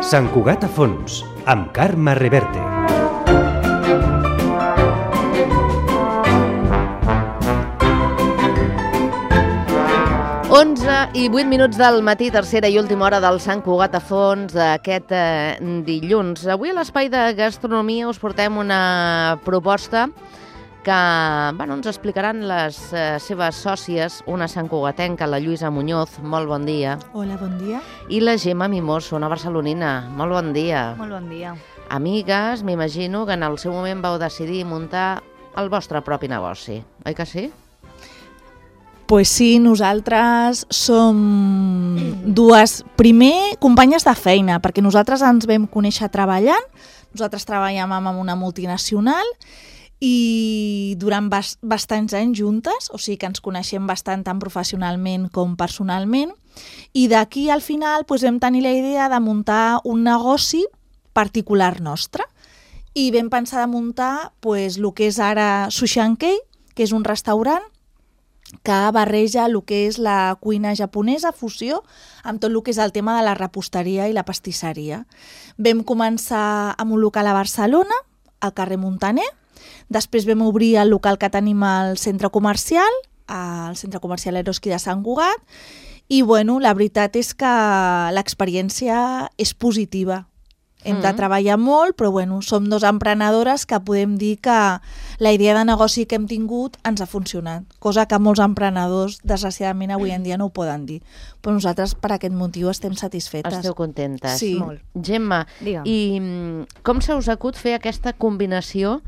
Sant Cugat a fons, amb Carme Reverte. I 8 minuts del matí, tercera i última hora del Sant Cugat a fons d'aquest dilluns. Avui a l'Espai de Gastronomia us portem una proposta que ens explicaran les seves sòcies, una santcugatenca, la Lluïsa Muñoz, molt bon dia. Hola, bon dia. I la Gemma Mimoso, una barcelonina, molt bon dia. Molt bon dia. Amigues, m'imagino que en el seu moment vau decidir muntar el vostre propi negoci, oi que sí? Pues sí, nosaltres som dues, primer, companyes de feina, perquè nosaltres ens vam conèixer treballant, nosaltres treballem amb una multinacional i durant bastants anys juntes, o sigui que ens coneixem bastant tant professionalment com personalment, i d'aquí al final vam tenir la idea de muntar un negoci particular nostre i vam pensar de muntar el que és ara Sushi & Kei, que és un restaurant que barreja el que és la cuina japonesa, fusió, amb tot el que és el tema de la reposteria i la pastisseria. Vam començar amb un local a Barcelona, al carrer Muntaner, després vam obrir el local que tenim al centre comercial, al centre comercial Eroski de Sant Cugat, i la veritat és que l'experiència és positiva. Hem de treballar molt, però som dos emprenedores que podem dir que la idea de negoci que hem tingut ens ha funcionat, cosa que molts emprenedors, desgraciadament, avui en dia no ho poden dir. Però nosaltres, per aquest motiu, estem satisfetes. Esteu contentes? Sí. Molt. Gemma, digue'm. I com se us acut fer aquesta combinació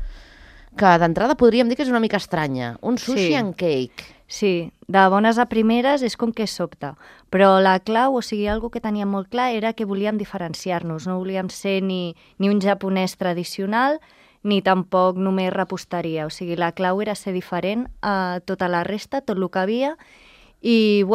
que d'entrada podríem dir que és una mica estranya? Un sushi and cake. Sí, de bones a primeres és com que sobta, però la clau, o sigui, algo que teníem molt clar era que volíem diferenciar-nos, no volíem ser ni un japonès tradicional ni tampoc només reposteria, o sigui, la clau era ser diferent a tota la resta, tot el que havia, i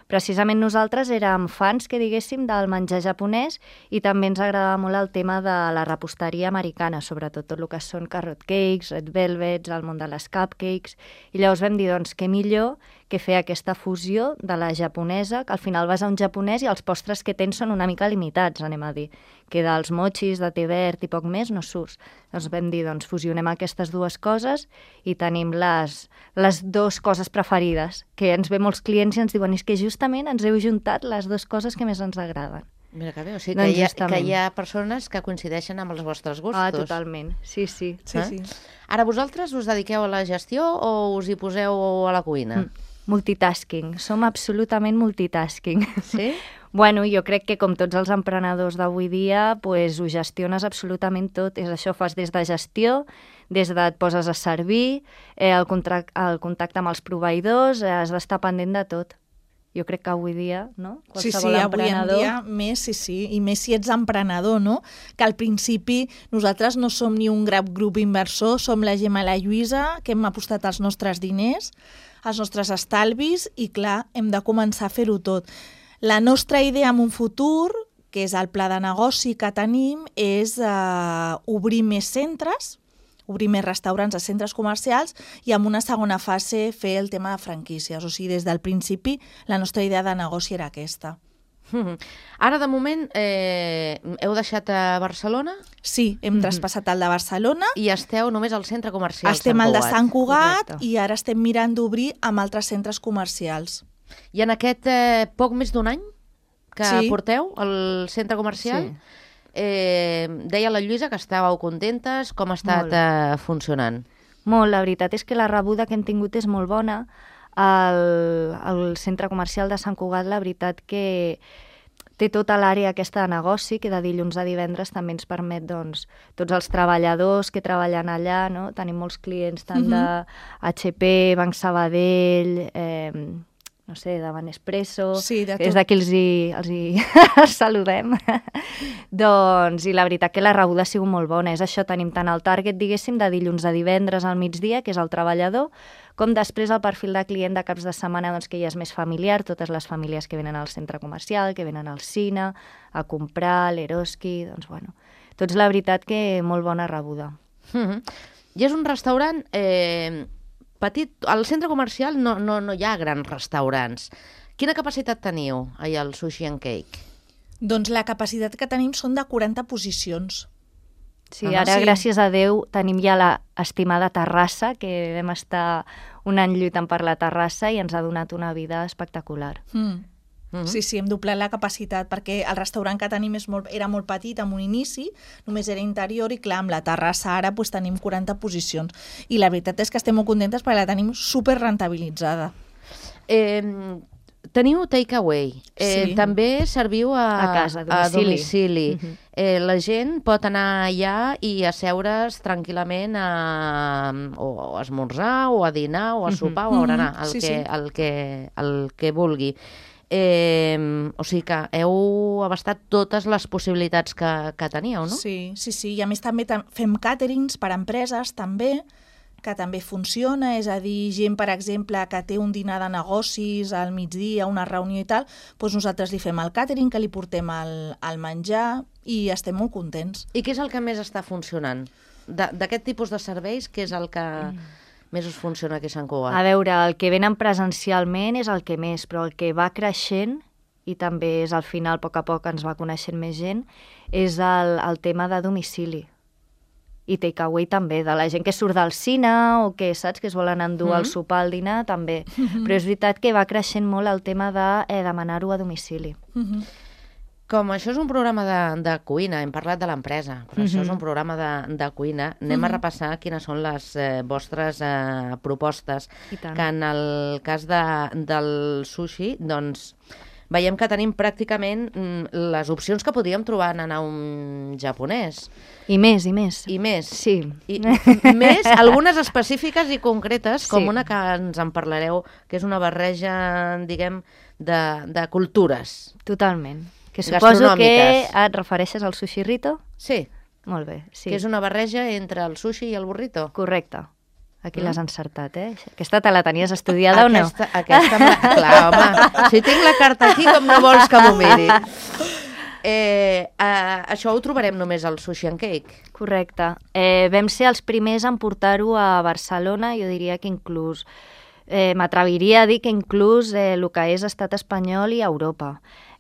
precisament nosaltres érem fans, que diguéssim, del menjar japonès i també ens agradava molt el tema de la reposteria americana, sobretot tot el que són carrot cakes, red velvets, el món de les cupcakes, i llavors vam dir, doncs, què millor que fer aquesta fusió de la japonesa, que al final vas a un japonès i els postres que tens són una mica limitats, anem a dir, que dels mochis, de té verd i poc més no surts. Doncs vam dir, doncs, fusionem aquestes dues coses i tenim les dues coses preferides, que ens ve molts clients i ens diuen, és que justament ens heu juntat les dues coses que més ens agraden. Mira que bé, o sigui que hi ha persones que coincideixen amb els vostres gustos. Ah, totalment, sí. Sí. Ara vosaltres us dediqueu a la gestió o us hi poseu a la cuina? Multitasking, som absolutament multitasking. Sí? Jo crec que com tots els emprenedors d'avui dia, ho gestiones absolutament tot. És això, fas des de gestió, des de et poses a servir, el contacte amb els proveïdors, has d'estar pendent de tot. Jo crec que avui dia, no? Qualsevol emprenedor... avui en dia més, sí, i més si ets emprenedor, no? Que al principi nosaltres no som ni un gran grup inversor, som la Gemma i la Lluïsa, que hem apostat els nostres diners, els nostres estalvis, i clar, hem de començar a fer-ho tot. La nostra idea en un futur, que és el pla de negoci que tenim, és obrir més centres, obrir més restaurants a centres comercials i en una segona fase fer el tema de franquícies. O sigui, des del principi la nostra idea de negoci era aquesta. Ara, de moment, heu deixat a Barcelona? Sí, hem traspassat el de Barcelona. I esteu només al centre comercial estem Sant Cugat. Al de Sant Cugat. Correcte. I ara estem mirant d'obrir amb altres centres comercials. I en aquest poc més d'un any que porteu al centre comercial, deia la Lluïsa que estàveu contentes. Com ha estat funcionant? Molt, la veritat és que la rebuda que hem tingut és molt bona. Al centre comercial de Sant Cugat, la veritat que té tota l'àrea aquesta de negoci, que de dilluns a divendres també ens permet, doncs, tots els treballadors que treballen allà, no? Tenim molts clients tant de HP, Banc Sabadell, no sé, de Banespresso, des d'aquí els saludem. Doncs, i la veritat que la rebuda ha sigut molt bona. És això, tenim tant el target, diguéssim, de dilluns a divendres al migdia, que és el treballador, com després el perfil de client de caps de setmana, doncs, que ja és més familiar, totes les famílies que venen al centre comercial, que venen al cine, a comprar, l'Eroski, doncs, Tots, la veritat, que molt bona rebuda. I és un restaurant petit. Al centre comercial no hi ha grans restaurants. Quina capacitat teniu allà al Sushi and Cake? Doncs la capacitat que tenim són de 40 posicions. Sí, ara, gràcies a Déu, tenim ja l'estimada terrassa, que vam estar un any lluitant per la terrassa i ens ha donat una vida espectacular. Sí, hem doblat la capacitat, perquè el restaurant que tenim era molt petit en un inici, només era interior, i clar, amb la terrassa ara tenim 40 posicions. I la veritat és que estem molt contentes perquè la tenim super rentabilitzada. Teniu takeaway. Sí. També serviu A casa, a domicili. La gent pot anar allà i asseure's tranquil·lament o a esmorzar, o a dinar, o a sopar, o a berenar, el que vulgui. O sigui que heu abastat totes les possibilitats que teníeu, no? Sí. I a més també fem càterings per a empreses, també, que també funciona, és a dir, gent, per exemple, que té un dinar de negocis al migdia, una reunió i tal, doncs nosaltres li fem el càtering, que li portem el menjar, i estem molt contents. I què és el que més està funcionant? D'aquest tipus de serveis, què és el que més us funciona aquí a Sant Cugat? A veure, el que venen presencialment és el que més, però el que va creixent, i també és al final, a poc ens va coneixent més gent, és el tema de domicili. I takeaway també, de la gent que surt del cine o que, saps, que es volen endur al sopar, al dinar, també. Però és veritat que va creixent molt el tema de demanar-ho a domicili. Com això és un programa de cuina, hem parlat de l'empresa, però això és un programa de cuina, anem a repassar quines són les vostres propostes. I tant. Que en el cas del sushi, doncs, veiem que tenim pràcticament les opcions que podríem trobar en anar a un japonès. I més, i més. I més. Sí. I més, algunes específiques i concretes, com Sí. una que ens en parlareu, que és una barreja, diguem, de cultures. Totalment. Que suposo que Gastronòmiques. et refereixes al sushi rito? Sí, Molt bé, sí. que és una barreja entre el sushi i el burrito. Correcte. Aquí l'has encertat, Aquesta te la tenies estudiada o no? Aquesta clar, home, si tinc la carta aquí, com no vols que m'ho miri? Això ho trobarem només al Sushi and Cake. Correcte. Vam ser els primers en portar-ho a Barcelona, jo diria que inclús, m'atreviria a dir que inclús el que és estat espanyol i Europa.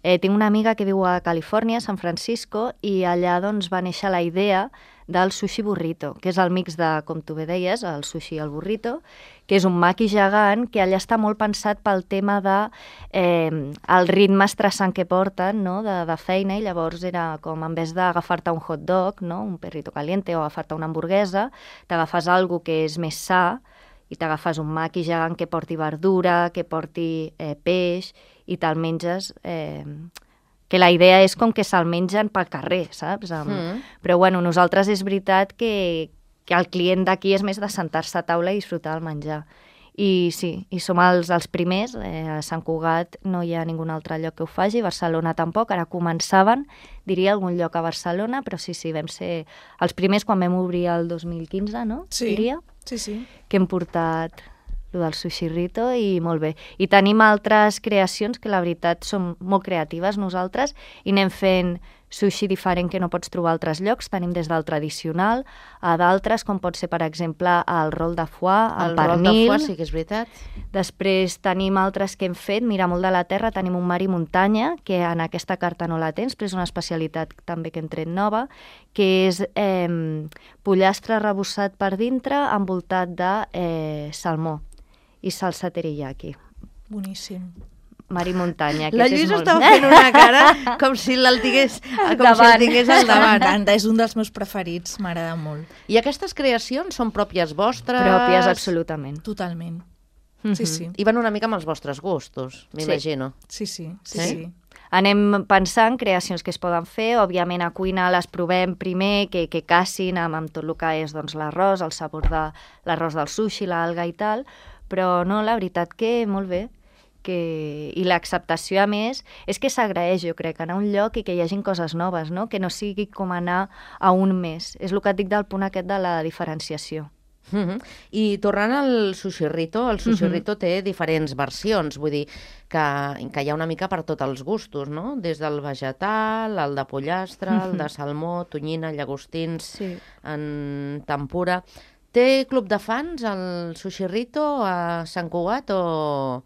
Tinc una amiga que viu a Califòrnia, San Francisco, i allà doncs, va néixer la idea del sushi burrito, que és el mix de, com tu bé deies, el sushi i el burrito, que és un maqui gegant que allà està molt pensat pel tema de el ritme estressant que porten, no?, de feina, i llavors era com, en vez d'agafar-te un hot dog, no?, un perrito caliente, o agafar-te una hamburguesa, t'agafes algo que és més sa, i t'agafes un maqui gegant que porti verdura, que porti peix, i te'l menges... que la idea és com que se'l mengen pel carrer, saps? Però bueno, nosaltres és veritat que el client d'aquí és més de sentar-se a taula i disfrutar el menjar. I sí, i som els primers, a Sant Cugat no hi ha ningú altre lloc que ho faci, Barcelona tampoc, ara començaven, diria algun lloc a Barcelona, però sí, vam ser els primers quan vam obrir el 2015, no? Sí, diria, sí. que hem portat lo del sushi rito i molt bé. I tenim altres creacions que la veritat són molt creatives nosaltres i anem fent sushi diferent que no pots trobar a altres llocs. Tenim des del tradicional a d'altres, com pot ser, per exemple, el rol de foie, el pernil. El rol de foie sí que és veritat. Després tenim altres que hem fet, mira, molt de la terra, tenim un mar i muntanya, que en aquesta carta no la tens, però és una especialitat també que hem tret nova, que és pollastre rebossat per dintre envoltat de salmó i salsa teriyaki. Boníssim. Mar i muntanya. La Lluïsa està fent una cara com si el tingués al davant. M'encanta, és un dels meus preferits, m'agrada molt. I aquestes creacions són pròpies vostres? Pròpies, absolutament. Totalment. Sí. I van una mica amb els vostres gustos, m'imagino. Sí. Anem pensant creacions que es poden fer, òbviament a cuina les provem primer, que casin amb tot el que és doncs, l'arròs, el sabor de l'arròs del sushi, l'alga i tal, però no, la veritat que molt bé. I l'acceptació, a més, és que s'agraeix, jo crec, anar a un lloc i que hi hagin coses noves, no? Que no sigui com anar a un mes. És el que et dic del punt aquest de la diferenciació. I tornant al Sushirrito, el Sushirrito té diferents versions, vull dir que hi ha una mica per tots els gustos, no? Des del vegetal, el de pollastre, el de salmó, tonyina, llagostins, en tempura. Té club de fans, el Sushirrito, a Sant Cugat, o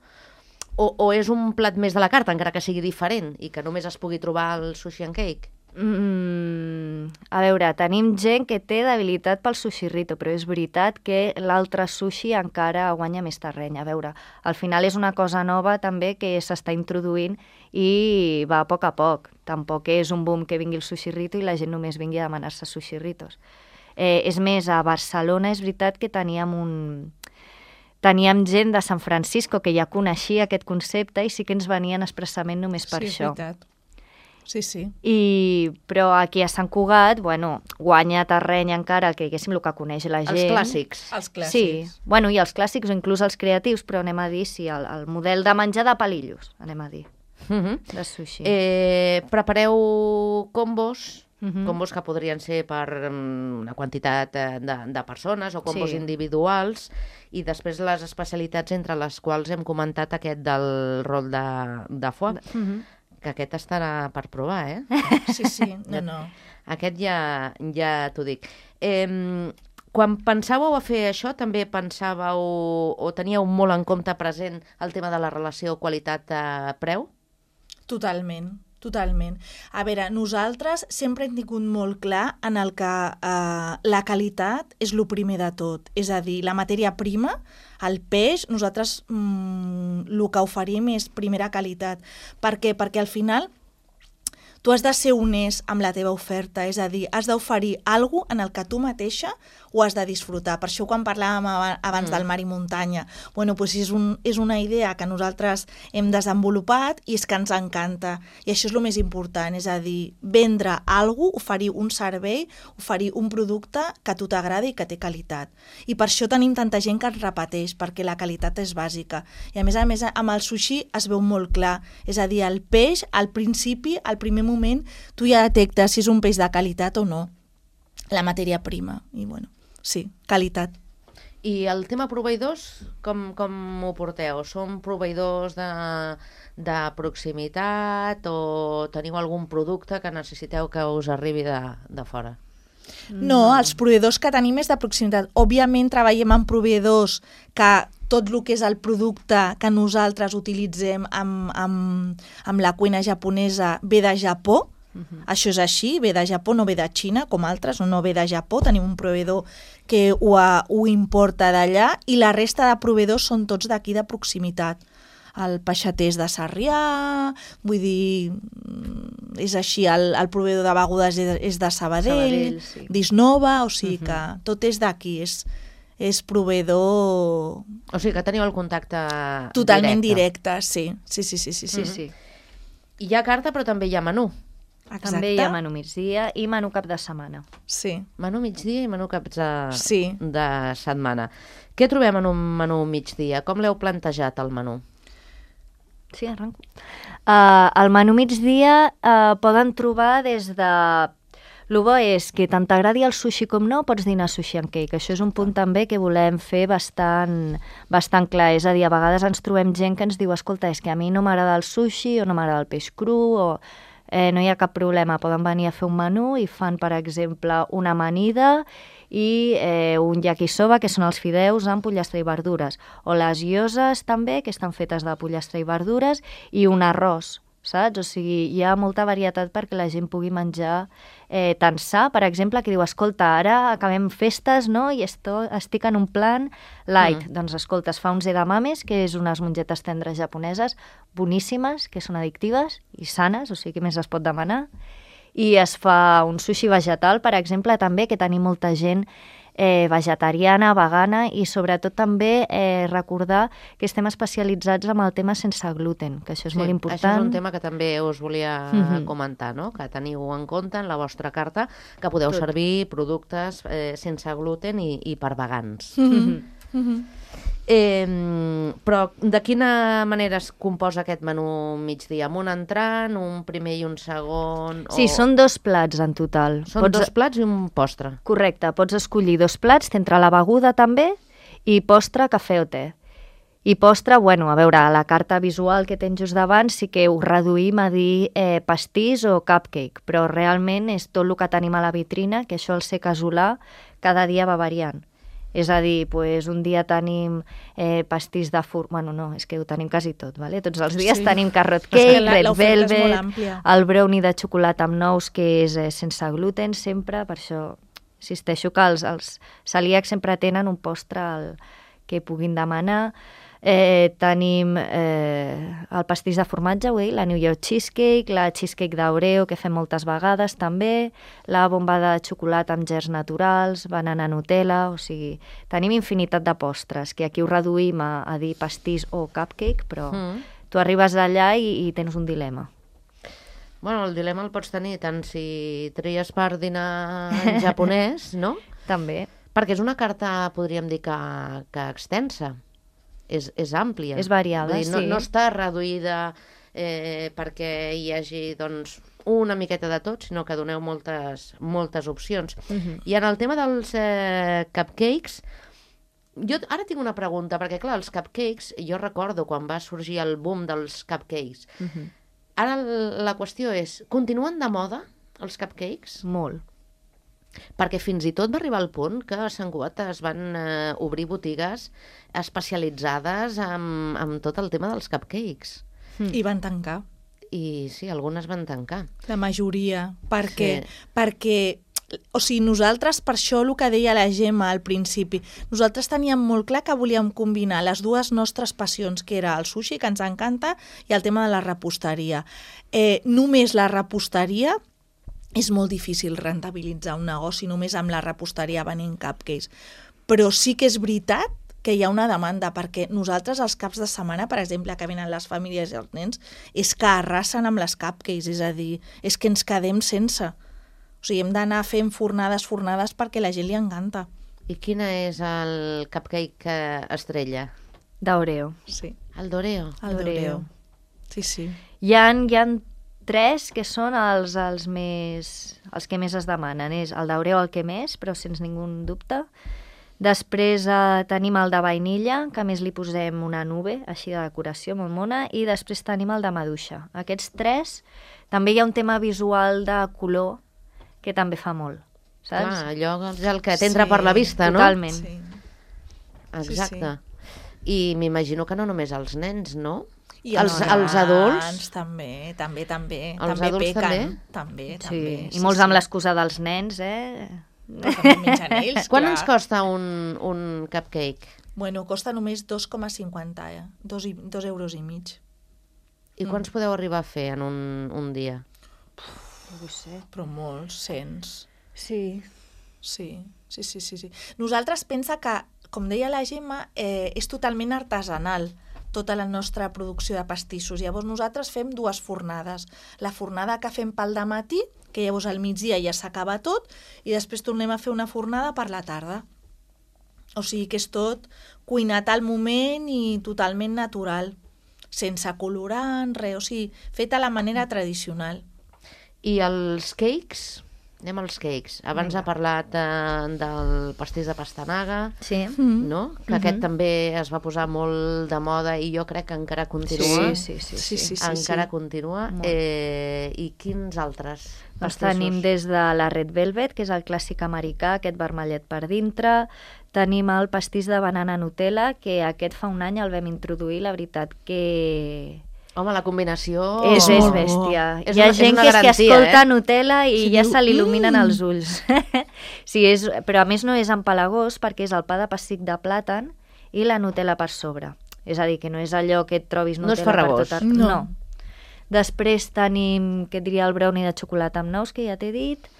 és un plat més de la carta, encara que sigui diferent, i que només es pugui trobar al Sushi and Cake? A veure, tenim gent que té debilitat pel Sushirrito, però és veritat que l'altre sushi encara guanya més terreny. A veure, al final és una cosa nova també que s'està introduint i va a poc. Tampoc és un boom que vingui el Sushirrito i la gent només vingui a demanar-se Sushirritos. És més, a Barcelona és veritat que teníem gent de San Francisco que ja coneixia aquest concepte i sí que ens venien expressament només per això. Sí, és veritat. Sí. Però aquí a Sant Cugat, guanya terreny encara que diguéssim el que coneix la gent. Els clàssics. Sí, i els clàssics o inclús els creatius, però anem a dir, el model de menjar de palillos, anem a dir, de sushi. Prepareu combos, combos que podrien ser per una quantitat de persones o combos individuals, i després les especialitats entre les quals hem comentat aquest del rol de foie, que aquest estarà per provar, Sí, no. Aquest ja t'ho dic. Quan pensàveu a fer això, també pensàveu o teníeu molt en compte present el tema de la relació qualitat-preu? Totalment. A veure, nosaltres sempre hem tingut molt clar en el que la qualitat és el primer de tot. És a dir, la matèria prima, el peix, nosaltres el que oferim és primera qualitat. Per què? Perquè al final tu has de ser honest amb la teva oferta, és a dir, has d'oferir alguna cosa en el que tu mateixa ho has de disfrutar. Per això quan parlàvem abans del mar i muntanya, doncs és una idea que nosaltres hem desenvolupat i és que ens encanta. I això és el més important, és a dir, vendre alguna cosa, oferir un servei, oferir un producte que a tu t'agradi i que té qualitat. I per això tenim tanta gent que es repeteix, perquè la qualitat és bàsica. I a més, amb el sushi es veu molt clar. És a dir, el peix, al principi, al primer moment, tu ja detectes si és un peix de qualitat o no. La matèria prima. I sí, qualitat. I el tema proveïdors, com ho porteu? Són proveïdors de proximitat o teniu algun producte que necessiteu que us arribi de fora? No, els proveïdors que tenim és de proximitat. Òbviament treballem amb proveïdors que tot el que és el producte que nosaltres utilitzem amb la cuina japonesa ve de Japó. Això és així, ve de Japó, no ve de Xina, com altres, no ve de Japó. Tenim un proveïdor que ho importa d'allà i la resta de proveïdors són tots d'aquí de proximitat. El peixater és de Sarrià, vull dir, és així, el proveïdor de begudes és de Sabadell, sí. D'Isnova, o sigui que tot és d'aquí, és proveïdor... O sigui que teniu el contacte totalment directe, sí. Sí. I hi ha carta però també hi ha menú. Exacte. També hi ha menú migdia i menú cap de setmana. Sí. Menú migdia i menú cap de setmana. Què trobem en un menú migdia? Com l'heu plantejat, el menú? Sí, arranco. El menú migdia poden trobar des de... El bo és que tant t'agradi el sushi com no, pots dinar sushi and cake. Això és un punt també que volem fer bastant clar. És a dir, a vegades ens trobem gent que ens diu escolta, és que a mi no m'agrada el sushi o no m'agrada el peix cru o... no hi ha cap problema, poden venir a fer un menú i fan, per exemple, una amanida i un yakisoba, que són els fideus amb pollastre i verdures, o les gyozas també, que estan fetes de pollastre i verdures, i un arròs, saps? O sigui, hi ha molta varietat perquè la gent pugui menjar tant sa, per exemple, que diu, escolta, ara acabem festes, no?, i estic en un plan light. Doncs, escolta, es fa un edamames, que és unes mongetes tendres japoneses boníssimes, que són addictives i sanes, o sigui, què més es pot demanar? I es fa un sushi vegetal, per exemple, també, que tenim molta gent vegetariana, vegana, i sobretot també recordar que estem especialitzats en el tema sense gluten, que això és molt important. Això és un tema que també us volia comentar, no? Que teniu en compte en la vostra carta que podeu servir productes sense gluten i per vegans. Però de quina manera es composa aquest menú migdia? Amb un entrant, un primer i un segon? Sí, són 2 plats en total. Són 2 plats i un postre. Correcte, pots escollir 2 plats, t'entra la beguda també, i postre, cafè o te. I postre, bueno, a veure, a la carta visual que tens just davant sí que ho reduïm a dir pastís o cupcake, però realment és tot el que tenim a la vitrina, que això al ser casolà cada dia va variant. És a dir, pues, un dia tenim pastís de bueno, no, és que ho tenim quasi tot, ¿vale? Tots els dies tenim carrot cake, red velvet, el brownie de xocolata amb nous, que és sense gluten sempre, per això insisteixo que els celíacs sempre tenen un postre que puguin demanar. Tenim el pastís de formatge, la New York Cheesecake, la cheesecake d'Oreo, que fem moltes vegades també, la bomba de xocolata amb gerds naturals, banana Nutella, o sigui, tenim infinitat de postres, que aquí ho reduïm a dir pastís o cupcake, però tu arribes allà i tens un dilema. Bueno, el dilema el pots tenir tant si tries per dinar en japonès, no? També. Perquè és una carta, podríem dir, que extensa. És àmplia. És variada, dir, sí. No està reduïda perquè hi hagi doncs, una miqueta de tot, sinó que doneu moltes opcions. I en el tema dels cupcakes, jo ara tinc una pregunta, perquè clar, els cupcakes, jo recordo quan va sorgir el boom dels cupcakes. Ara la qüestió és, continuen de moda els cupcakes? Molt. Perquè fins i tot va arribar al punt que a Sant Cugat es van obrir botigues especialitzades en tot el tema dels cupcakes. I van tancar. I sí, algunes van tancar. La majoria, perquè o sigui, nosaltres, per això el que deia la Gemma al principi, nosaltres teníem molt clar que volíem combinar les dues nostres passions, que era el sushi, que ens encanta, i el tema de la reposteria. Només la reposteria és molt difícil rentabilitzar un negoci només amb la reposteria venent cupcakes. Però sí que és veritat que hi ha una demanda, perquè nosaltres els caps de setmana, per exemple, que venen les famílies i els nens, és que arrasen amb les cupcakes, és a dir, és que ens quedem sense. O sigui, hem d'anar fent fornades perquè la gent li encanta. I quin és el cupcake estrella? D'Oreo. Sí. El d'Oreo? El d'Oreo. Sí, sí. Hi ha 3 que són els que més es demanen. És el d'Oreo el que més, però sense ningú dubte. Després tenim el de vainilla, que a més li posem una nube, així de decoració molt mona, i després tenim el de maduixa. Aquests 3, també hi ha un tema visual de color que també fa molt, saps? Clar, allò és el que t'entra per la vista, no? Totalment. Sí. Exacte. I m'imagino que no només els nens, no? I els adults? També. Els també adults pequen. també? També. I molts amb l'excusa dels nens, També mengen ells, Quant clar. ens costa un cupcake? Bueno, costa només 2,50, 2 euros i mig. I quants podeu arribar a fer en un dia? No ho sé, però molts, 100. Sí. Sí. Nosaltres pensa que, com deia la Gemma, és totalment artesanal tota la nostra producció de pastissos. Llavors nosaltres fem 2 fornades. La fornada que fem pel dematí, que llavors al migdia ja s'acaba tot, i després tornem a fer una fornada per la tarda. O sigui que és tot cuinat al moment i totalment natural, sense colorant, res, o sigui, fet a la manera tradicional. I els cakes? Anem als cakes. Abans ha parlat del pastís de pastanaga, Sí. no? Que aquest també es va posar molt de moda i jo crec que encara continua. Sí. Encara continua. Molt. I quins altres Doncs pastissos? tenim des de la red velvet, que és el clàssic americà, aquest vermellet per dintre. Tenim el pastís de banana Nutella, que aquest fa un any el vam introduir, la veritat que... Home, la combinació... És molt bèstia. És Hi ha una gent que garantia, escolta Nutella i Sí, ja diu, se l'il·luminen els ulls. Sí, però a més no és empalagós perquè és el pa de pessic de plàtan i la Nutella per sobre. És a dir, que no és allò que et trobis No és Nutella farragós. per tot No. No. Després tenim, què et diria, el brownie de xocolata amb nous, que ja t'he dit.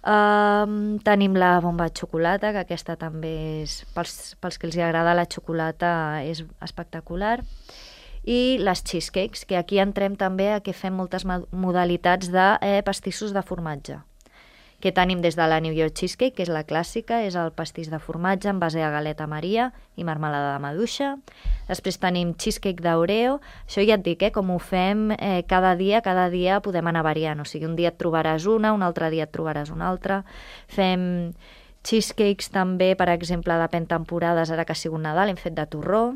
Tenim la bomba de xocolata, que aquesta també és, pels que els agrada la xocolata, és espectacular. I les cheesecakes, que aquí entrem també a que fem moltes modalitats de pastissos de formatge. que tenim des de la New York Cheesecake, que és la clàssica, és el pastís de formatge en base a galeta Maria i marmelada de maduixa. Després tenim cheesecake d'Oreo. Això ja et dic, com ho fem cada dia podem anar variant. O sigui, un dia et trobaràs una, un altre dia et trobaràs una altra. Fem cheesecakes també, per exemple, depèn temporades, ara que ha sigut Nadal, hem fet de torró.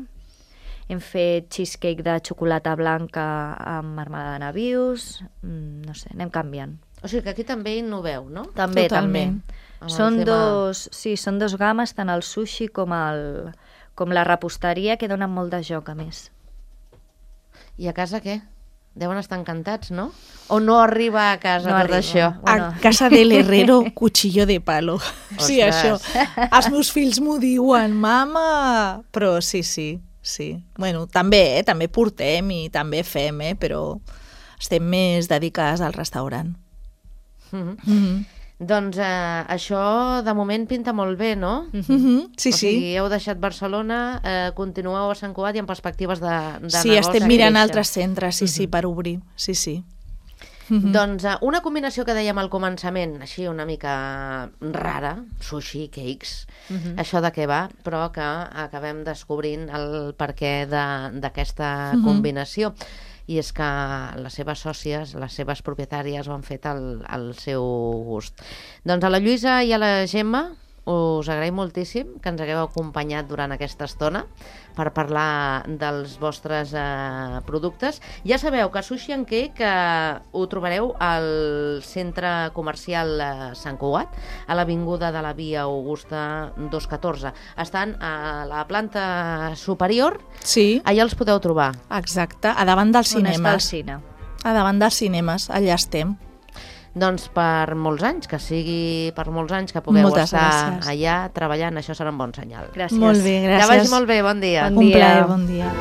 Hem fet cheesecake de xocolata blanca amb marmelada de nabius. No sé, anem canviant. O sigui que aquí també innoveu, no? També, Totalment. també. Són dos games, tant el sushi com la reposteria, que donen molt de joc, a més. I a casa què? Deuen estar encantats, no? O no arriba a casa No tot arriba. això? Bueno. A casa del herrero, cuchillo de palo. Sí, Ostres. això. Els meus fills m'ho diuen, mama! Però sí. Bueno, també portem i també fem, però estem més dedicades al restaurant. Doncs això de moment pinta molt bé, no? Sí, O sigui, heu deixat Barcelona, continueu a Sant Cugat i amb perspectives de Sí, negoci estem mirant créixer. altres centres, sí, per obrir. Sí. Doncs una combinació que dèiem al començament, així una mica rara, sushi, cakes, això de què va, però que acabem descobrint el perquè d'aquesta combinació. I és que les seves sòcies, les seves propietàries ho han fet al seu gust. Doncs a la Lluïsa i a la Gemma us agraïm moltíssim que ens hagueu acompanyat durant aquesta estona per parlar dels vostres productes. Ja sabeu que Sushi and Cake ho trobareu al centre comercial Sant Cugat, a l'avinguda de la Via Augusta 214. Estan a la planta superior, Sí, allà els podeu trobar. exacte, a davant dels On està el cinemes. cine? A davant dels cinemes, allà estem. Doncs per molts anys, que sigui per molts anys que pugueu Moltes estar gràcies. allà treballant, això serà un bon senyal. Gràcies. Molt bé, gràcies. Que vagi molt bé, bon dia. Bon Un dia. plaer, bon dia.